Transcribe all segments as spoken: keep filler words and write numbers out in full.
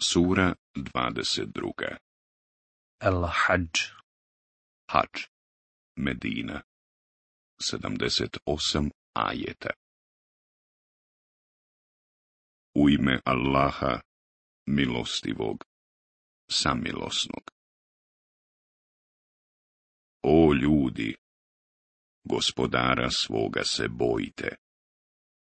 Sura dvadeset druga. El-Hadž. Hadž. Medina. sedamdeset osam ajeta. U ime Allaha, milostivog, samilosnog. O ljudi, gospodara svoga se bojite.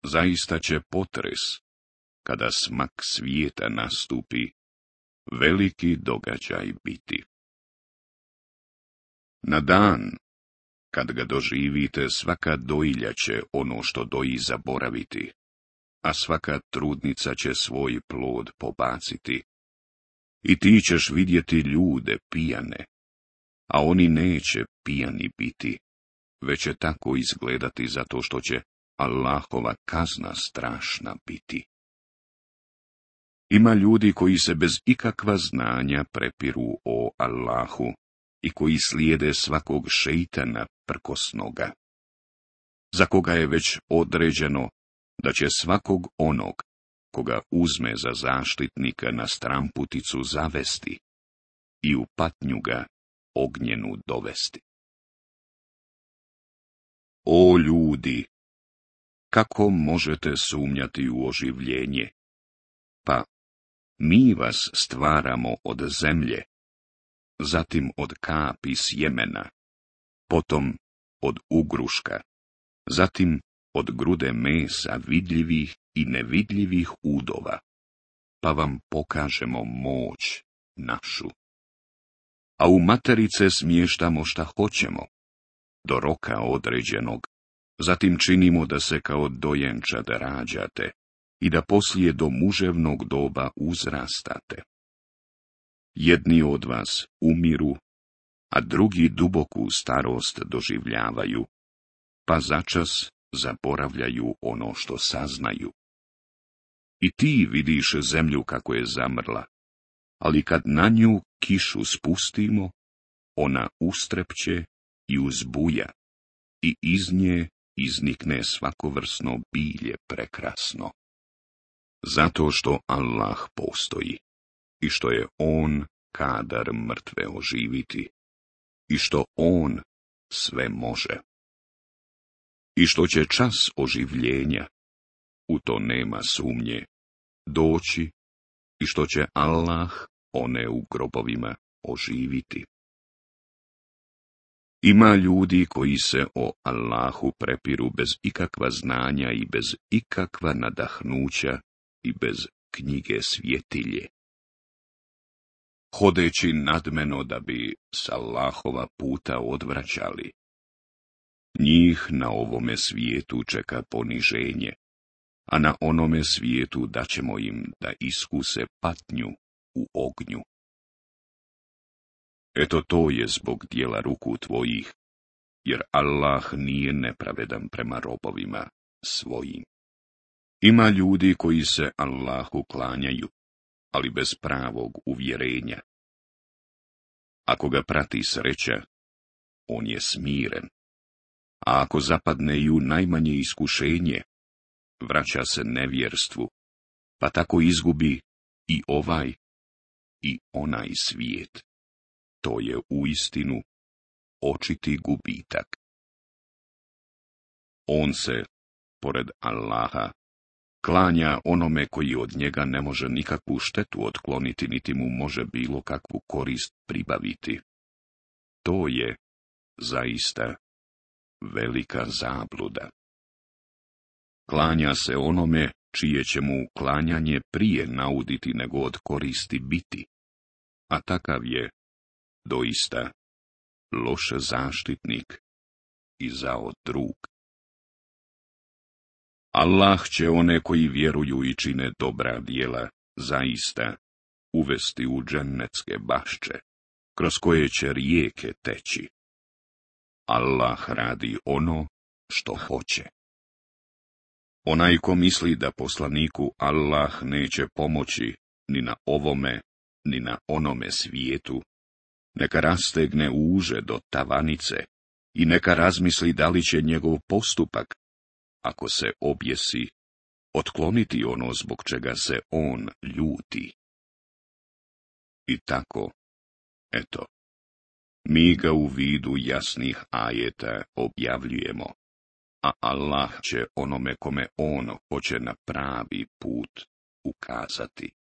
Zaista će potres, kada smak svijeta nastupi, veliki događaj biti. Na dan, kad ga doživite, svaka dojilja će ono što doji zaboraviti, a svaka trudnica će svoj plod pobaciti. I ti ćeš vidjeti ljude pijane, a oni neće pijani biti, već će tako izgledati zato što će Allahova kazna strašna biti. Ima ljudi koji se bez ikakva znanja prepiru o Allahu i koji slijede svakog šeitana prkosnoga, za koga je već određeno da će svakog onog, koga uzme za zaštitnika na stramputicu zavesti i u patnju ga ognjenu dovesti. O ljudi, kako možete sumnjati u oživljenje? Pa, mi vas stvaramo od zemlje, zatim od kapi sjemena, potom od ugruška, zatim od grude mesa vidljivih i nevidljivih udova, pa vam pokažemo moć našu. A u materice smještamo šta hoćemo, do roka određenog, zatim činimo da se kao dojenčad rađate i da poslije do muževnog doba uzrastate. Jedni od vas umiru, a drugi duboku starost doživljavaju, pa začas zaboravljaju ono što saznaju. I ti vidiš zemlju kako je zamrla, ali kad na nju kišu spustimo, ona ustrepće i uzbuja, i iz nje iznikne svakovrsno bilje prekrasno. Zato što Allah postoji, i što je On kadar mrtve oživiti, i što On sve može. I što će čas oživljenja, u to nema sumnje, doći, i što će Allah one u grobovima oživiti. Ima ljudi koji se o Allahu prepiru bez ikakva znanja i bez ikakva nadahnuća i bez knjige svjetilje, hodeći nadmeno da bi s Allahova puta odvraćali. Njih na ovome svijetu čeka poniženje, a na onome svijetu daćemo im da iskuse patnju u ognju. Eto to je zbog dijela ruku tvojih, jer Allah nije nepravedan prema robovima svojim. Ima ljudi koji se Allahu klanjaju, ali bez pravog uvjerenja. Ako ga prati sreća, on je smiren, a ako zapadne i u najmanje iskušenje, vraća se nevjerstvu, pa tako izgubi i ovaj i onaj svijet. To je uistinu očiti gubitak. On se, pored Allaha, klanja onome koji od njega ne može nikakvu štetu otkloniti, niti mu može bilo kakvu korist pribaviti. To je zaista velika zabluda. Klanja se onome čije će mu klanjanje prije nauditi nego od koristi biti, a takav je doista loš zaštitnik i zao drug. Allah će one koji vjeruju i čine dobra djela zaista uvesti u džennetske bašče, kroz koje će rijeke teći. Allah radi ono što hoće. Onaj ko misli da poslaniku Allah neće pomoći ni na ovome, ni na onome svijetu, neka rastegne uže do tavanice i neka razmisli da li će njegov postupak, ako se objesi, otkloniti ono zbog čega se on ljuti. I tako, eto, mi ga u vidu jasnih ajeta objavljujemo, a Allah će onome kome on hoće na pravi put ukazati.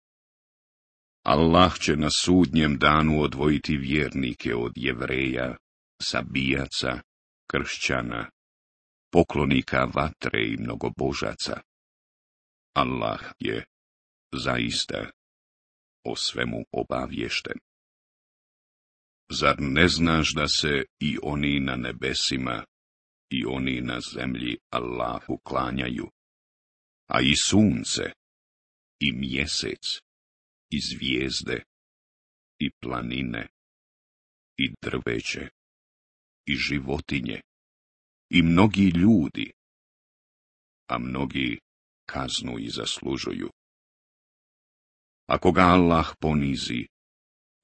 Allah će na sudnjem danu odvojiti vjernike od Jevreja, sabijaca, kršćana, poklonika vatre i mnogobožaca. Allah je zaista o svemu obaviješten. Zar ne znaš da se i oni na nebesima i oni na zemlji Allahu klanjaju, a i sunce, i mjesec, i zvijezde, i planine, i drveće, i životinje, i mnogi ljudi, a mnogi kaznu i zaslužuju. Ako ga Allah ponizi,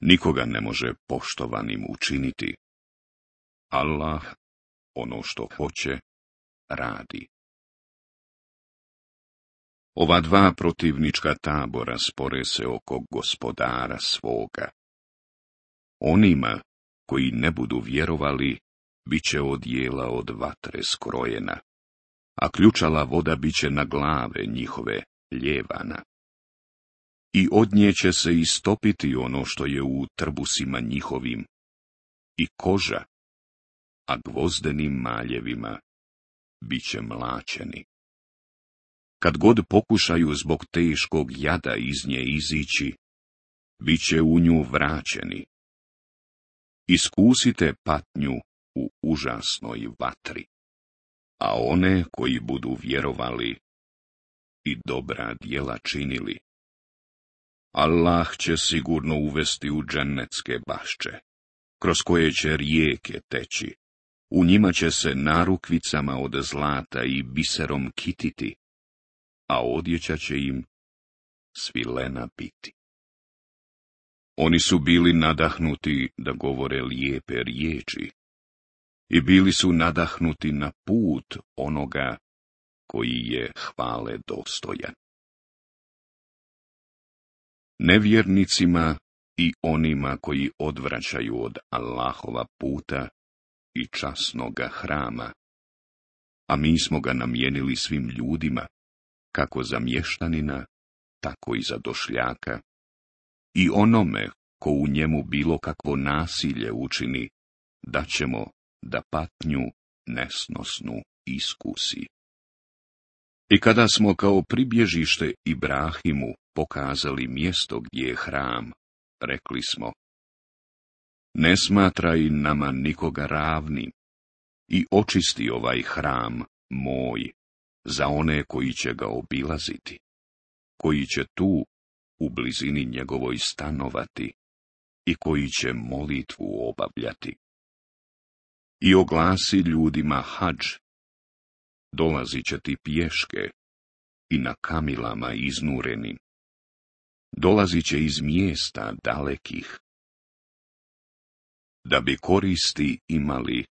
nikoga ne može poštovanim učiniti. Allah ono što hoće, radi. Ova dva protivnička tabora spore se oko gospodara svoga. Onima koji ne budu vjerovali, bit će odjela od vatre skrojena, a ključala voda bit će na glave njihove ljevana. I od nje će se istopiti ono što je u trbusima njihovim, i koža, a gvozdenim maljevima bit će mlačeni. Kad god pokušaju zbog teškog jada iz nje izići, bit će u nju vraćeni. Iskusite patnju u užasnoj vatri, a one koji budu vjerovali i dobra djela činili, Allah će sigurno uvesti u džennetske bašče, kroz koje će rijeke teći. U njima će se narukvicama od zlata i biserom kititi, a odjeća će im svilena biti. Oni su bili nadahnuti da govore lijepe riječi i bili su nadahnuti na put onoga koji je hvale dostojan. Nevjernicima i onima koji odvraćaju od Allahova puta i časnoga hrama, a mi smo ga namijenili svim ljudima, kako za mještanina, tako i za došljaka, i onome ko u njemu bilo kakvo nasilje učini, da ćemo da patnju nesnosnu iskusi. I kada smo kao pribježište Ibrahimu pokazali mjesto gdje je hram, rekli smo: ne smatraj nama nikoga ravnim i očisti ovaj hram moj za one koji će ga obilaziti, koji će tu u blizini njegovoj stanovati i koji će molitvu obavljati. I oglasi ljudima hadž, dolazit će ti pješke i na kamilama iznurenim, dolazit će iz mjesta dalekih, da bi koristi imali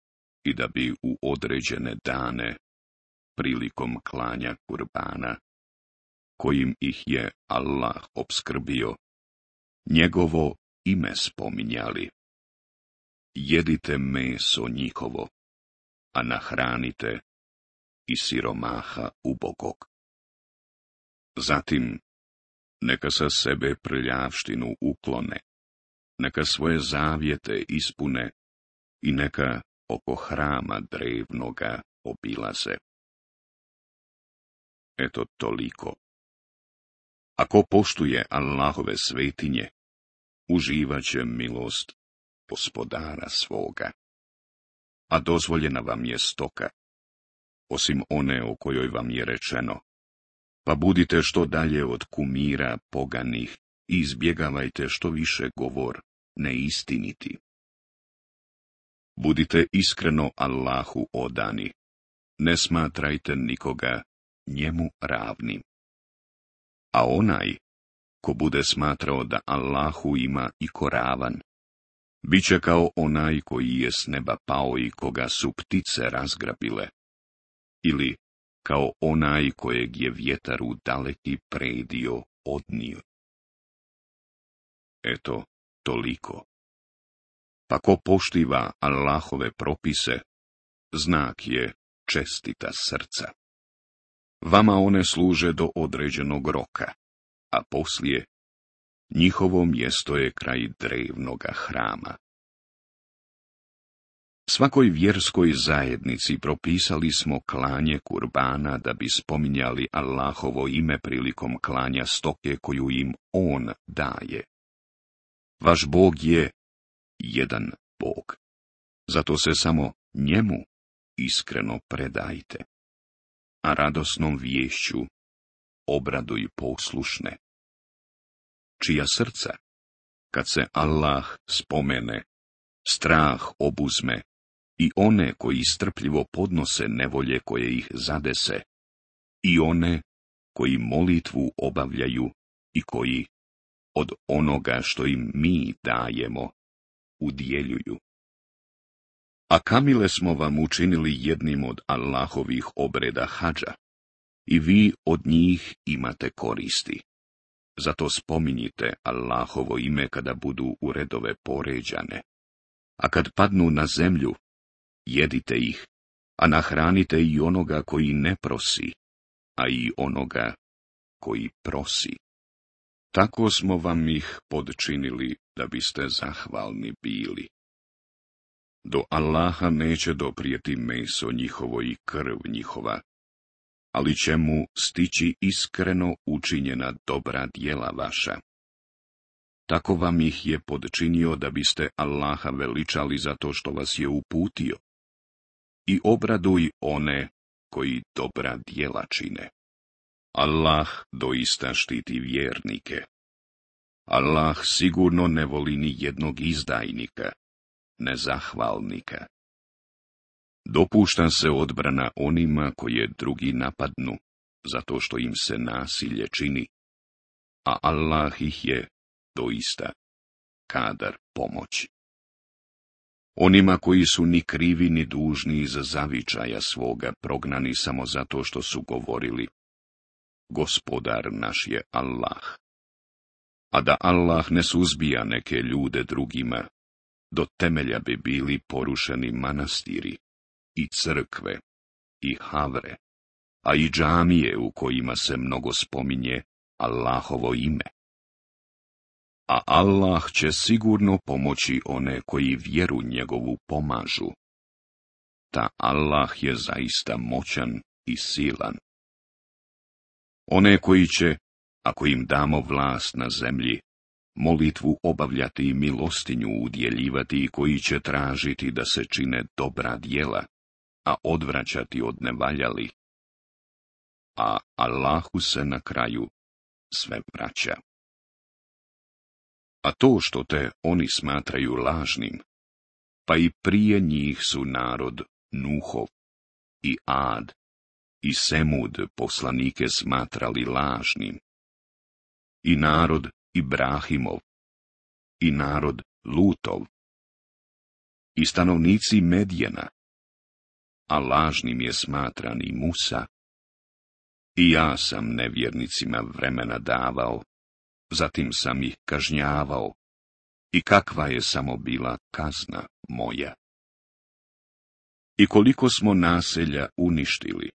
i da bi u određene dane, prilikom klanja kurbana, kojim ih je Allah opskrbio, njegovo ime spominjali. Jedite meso njihovo, a nahranite i siromaha ubogog. Zatim, neka sa sebe prljavštinu uklone, neka svoje zavjete ispune i neka oko hrama drevnoga obilaze. Eto toliko. Ako poštuje Allahove svetinje, uživat će milost gospodara svoga. A dozvoljena vam je stoka, osim one o kojoj vam je rečeno: pa budite što dalje od kumira poganih i izbjegavajte što više govor neistiniti. Budite iskreno Allahu odani, ne smatrajte nikoga njemu ravnim. A onaj, ko bude smatrao da Allahu ima i ko ravan, bit će kao onaj koji je s neba pao i koga su ptice razgrabile, ili kao onaj kojeg je vjetar u daleki predio odnio. Eto, toliko. Pa ko poštiva Allahove propise, znak je čestita srca. Vama one služe do određenog roka, a poslije njihovo mjesto je kraj drevnoga hrama. Svakoj vjerskoj zajednici propisali smo klanje kurbana da bi spominjali Allahovo ime prilikom klanja stoke koju im On daje. Vaš Bog je jedan Bog, zato se samo njemu iskreno predajte, a radosnom viješću obraduj poslušne, čija srca, kad se Allah spomene, strah obuzme, i one koji strpljivo podnose nevolje koje ih zadese, i one koji molitvu obavljaju i koji od onoga što im mi dajemo udjeljuju. A kamile smo vam učinili jednim od Allahovih obreda hadža, i vi od njih imate koristi. Zato spominjite Allahovo ime kada budu u redove poređane. A kad padnu na zemlju, jedite ih, a nahranite i onoga koji ne prosi, a i onoga koji prosi. Tako smo vam ih podčinili da biste zahvalni bili. Do Allaha neće doprijeti meso njihovo i krv njihova, ali će mu stići iskreno učinjena dobra djela vaša. Tako vam ih je podčinio da biste Allaha veličali zato što vas je uputio. I obraduj one koji dobra djela čine. Allah doista štiti vjernike. Allah sigurno ne voli ni jednog izdajnika, nezahvalnika. Dopušta se odbrana onima koje drugi napadnu, zato što im se nasilje čini, a Allah ih je doista kadar pomoći. Onima koji su ni krivi ni dužni iz zavičaja svoga prognani samo zato što su govorili, Gospodar naš je Allah. A da Allah ne suzbija neke ljude drugima, do temelja bi bili porušeni manastiri, i crkve, i havre, a i džamije u kojima se mnogo spominje Allahovo ime. A Allah će sigurno pomoći one koji vjeru njegovu pomažu. Ta Allah je zaista moćan i silan. One koji će, ako im damo vlast na zemlji, molitvu obavljati i milostinju udjeljivati i koji će tražiti da se čine dobra djela, a odvraćati od nevaljali. A Allahu se na kraju sve vraća. A to što te oni smatraju lažnim, pa i prije njih su narod Nuhov i Ad i Semud poslanike smatrali lažnim, i narod Ibrahimov, i narod Lutov, i stanovnici Medjena, a lažnim je smatran i Musa. I ja sam nevjernicima vremena davao, zatim sam ih kažnjavao, i kakva je samo bila kazna moja. I koliko smo naselja uništili,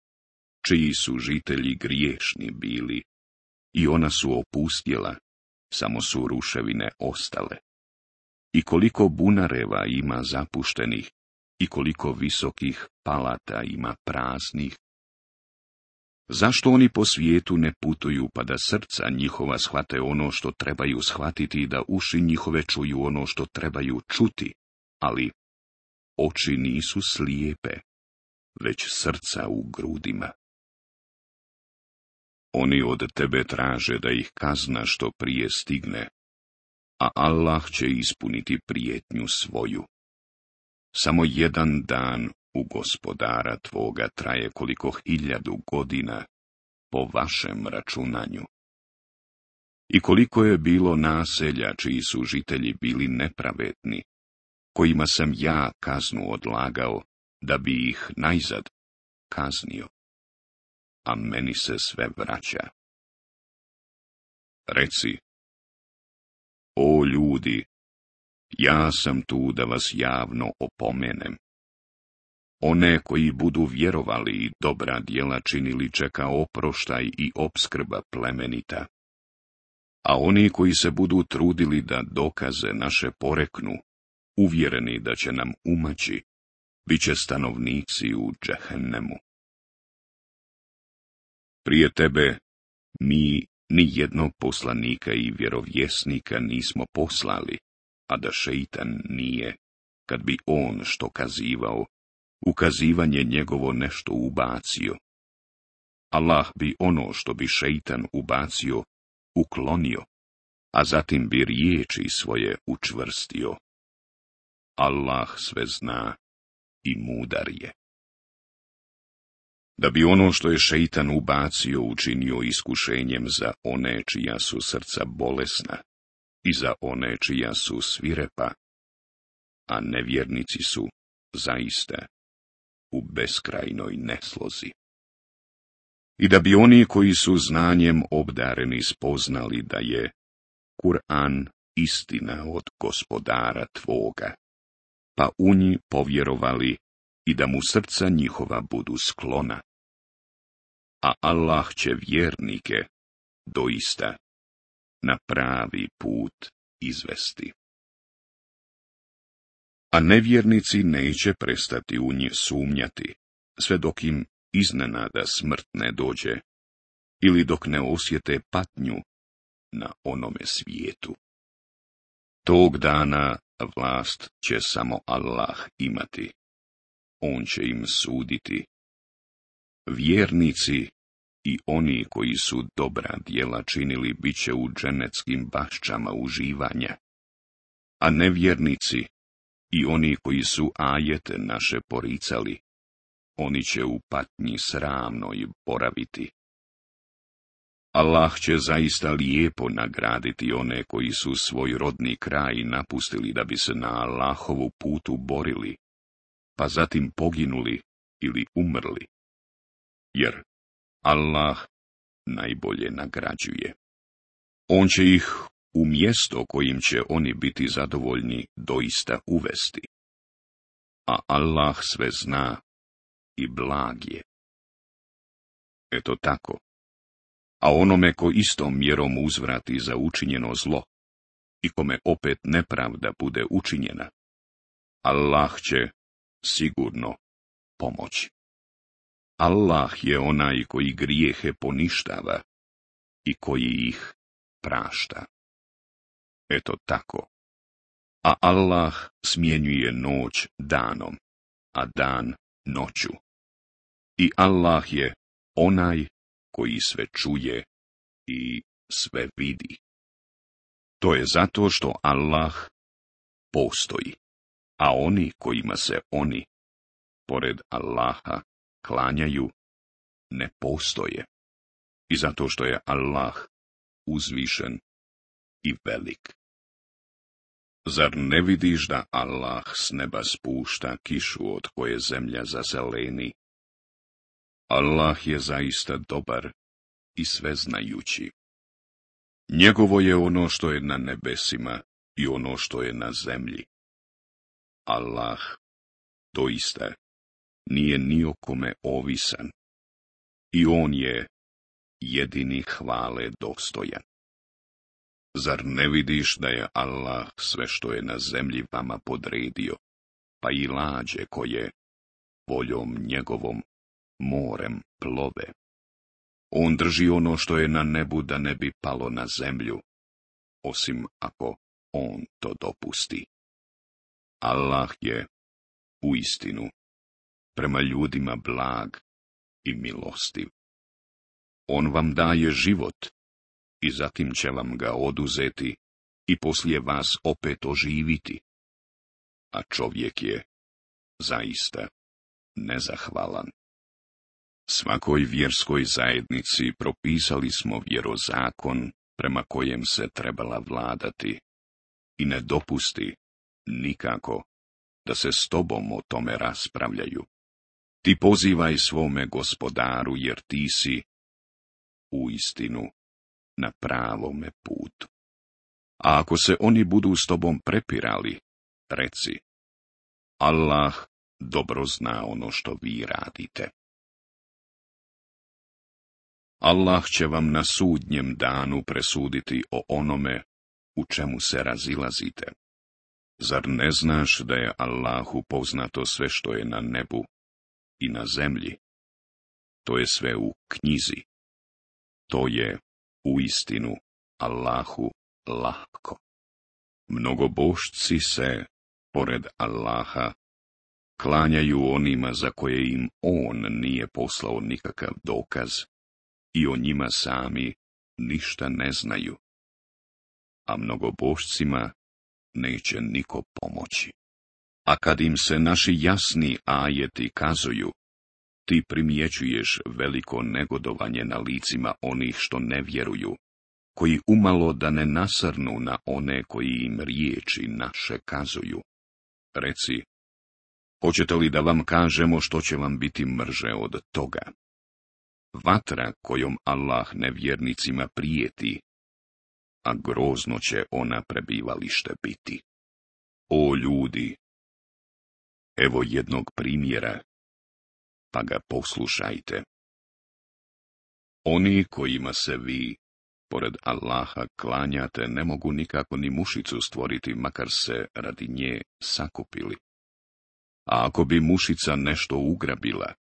čiji su žitelji griješni bili, i ona su opustjela, samo su ruševine ostale. I koliko bunareva ima zapuštenih, i koliko visokih palata ima praznih. Zašto oni po svijetu ne putuju pa da srca njihova shvate ono što trebaju shvatiti i da uši njihove čuju ono što trebaju čuti, ali oči nisu slijepe, već srca u grudima. Oni od tebe traže da ih kazna što prije stigne, a Allah će ispuniti prijetnju svoju. Samo jedan dan u Gospodara tvoga traje koliko hiljadu godina po vašem računanju. I koliko je bilo naselja čiji su žitelji bili nepravedni, kojima sam ja kaznu odlagao da bi ih najzad kaznio, a meni se sve vraća. Reci, o ljudi, Ja sam tu da vas javno opomenem. One koji budu vjerovali i dobra djela činili čeka oproštaj i opskrba plemenita. A oni koji se budu trudili da dokaze naše poreknu, uvjereni da će nam umaći, bit će stanovnici u džehennemu. Prije tebe mi ni jednog poslanika i vjerovjesnika nismo poslali, a da šeitan nije, kad bi on što kazivao, ukazivanje njegovo nešto ubacio. Allah bi ono što bi šeitan ubacio, uklonio, a zatim bi riječi svoje učvrstio. Allah sve zna i mudar je. Da bi ono što je šeitan ubacio učinio iskušenjem za one čija su srca bolesna i za one čija su svirepa, a nevjernici su zaista u beskrajnoj neslozi. I da bi oni koji su znanjem obdareni spoznali da je Kur'an istina od Gospodara tvoga, pa u nji povjerovali i da mu srca njihova budu sklona. A Allah će vjernike doista na pravi put izvesti. A nevjernici neće prestati u nje sumnjati, sve dok im iznenada smrt ne dođe, ili dok ne osjete patnju na onome svijetu. Tog dana vlast će samo Allah imati. On će im suditi. Vjernici i oni koji su dobra djela činili bit će u dženeckim bašćama uživanja, a nevjernici i oni koji su ajete naše poricali, oni će u patnji sramnoj boraviti. Allah će zaista lijepo nagraditi one koji su svoj rodni kraj napustili da bi se na Allahovu putu borili, pa zatim poginuli ili umrli, jer Allah najbolje nagrađuje. On će ih u mjesto kojim će oni biti zadovoljni doista uvesti. A Allah sve zna i blag je. Eto tako. A onome ko istom mjerom uzvrati za učinjeno zlo i kome opet nepravda bude učinjena, Allah će sigurno pomoći. Allah je onaj koji grijehe poništava i koji ih prašta. Eto tako. A Allah smjenjuje noć danom, a dan noću. I Allah je onaj koji sve čuje i sve vidi. To je zato što Allah postoji, a oni kojima se oni, pored Allaha, klanjaju, ne postoje. I zato što je Allah uzvišen i velik. Zar ne vidiš da Allah s neba spušta kišu od koje zemlja zazeleni? Allah je zaista dobar i sveznajući. Njegovo je ono što je na nebesima i ono što je na zemlji. Allah doista nije ni o kome ovisan i on je jedini hvale dostojan. Zar ne vidiš da je Allah sve što je na zemlji vama podredio, pa i lađe koje voljom njegovom morem plove? On drži ono što je na nebu da ne bi palo na zemlju, osim ako on to dopusti. Allah je uistinu prema ljudima blag i milostiv. On vam daje život i zatim će vam ga oduzeti i poslije vas opet oživiti. A čovjek je zaista nezahvalan. Svakoj vjerskoj zajednici propisali smo vjerozakon prema kojem se trebala vladati i ne dopusti nikako da se s tobom o tome raspravljaju. Ti pozivaj svome Gospodaru, jer ti si uistinu na pravome putu. A ako se oni budu s tobom prepirali, Reci, Allah dobro zna ono što vi radite. Allah će vam na sudnjem danu presuditi o onome u čemu se razilazite. Zar ne znaš da je Allahu poznato sve što je na nebu i na zemlji? To je sve u knjizi. To je uistinu Allahu lahko. Mnogobošci se, pored Allaha, klanjaju onima za koje im on nije poslao nikakav dokaz i o njima sami ništa ne znaju. A mnogobošcima neće niko pomoći. A kad im se naši jasni ajeti kazuju, ti primjećuješ veliko negodovanje na licima onih što ne vjeruju, koji umalo da ne nasrnu na one koji im riječi naše kazuju. Reci, hoćete li da vam kažemo što će vam biti mrže od toga? Vatra kojom Allah nevjernicima prijeti, a grozno će ona prebivalište biti. O ljudi, evo jednog primjera, pa ga poslušajte. Oni kojima se vi, pored Allaha, klanjate, ne mogu nikako ni mušicu stvoriti, makar se radi nje sakupili. A ako bi mušica nešto ugrabila,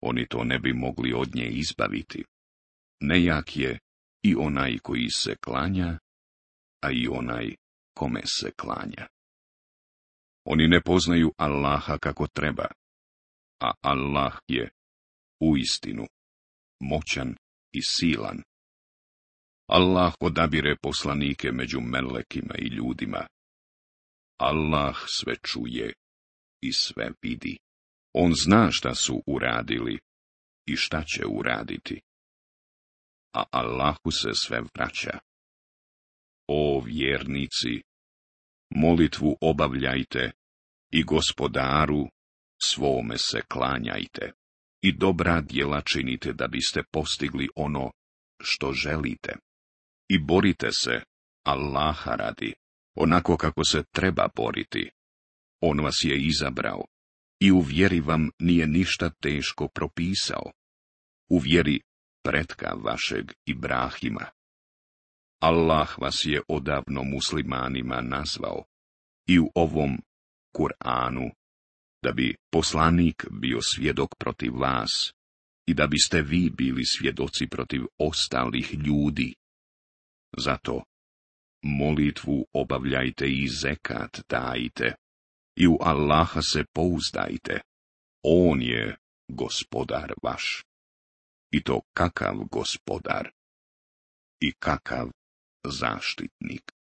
oni to ne bi mogli od nje izbaviti. Nejak je i onaj koji se klanja, a i onaj kome se klanja. Oni ne poznaju Allaha kako treba, a Allah je uistinu moćan i silan. Allah odabire poslanike među melekima i ljudima. Allah sve čuje i sve vidi. On zna šta su uradili i šta će uraditi. A Allahu se sve vraća. O vjernici, molitvu obavljajte i Gospodaru svome se klanjajte i dobra djela činite da biste postigli ono što želite. I borite se Allaha radi, onako kako se treba boriti. On vas je izabrao i u vjeri vam nije ništa teško propisao. U vjeri pretka vašeg Ibrahima. Allah vas je odavno muslimanima nazvao i u ovom Kur'anu, da bi poslanik bio svjedok protiv vas i da biste vi bili svjedoci protiv ostalih ljudi. Zato molitvu obavljajte i zekat dajte i u Allaha se pouzdajte. On je gospodar vaš. I to kakav gospodar i kakav zaštitnik.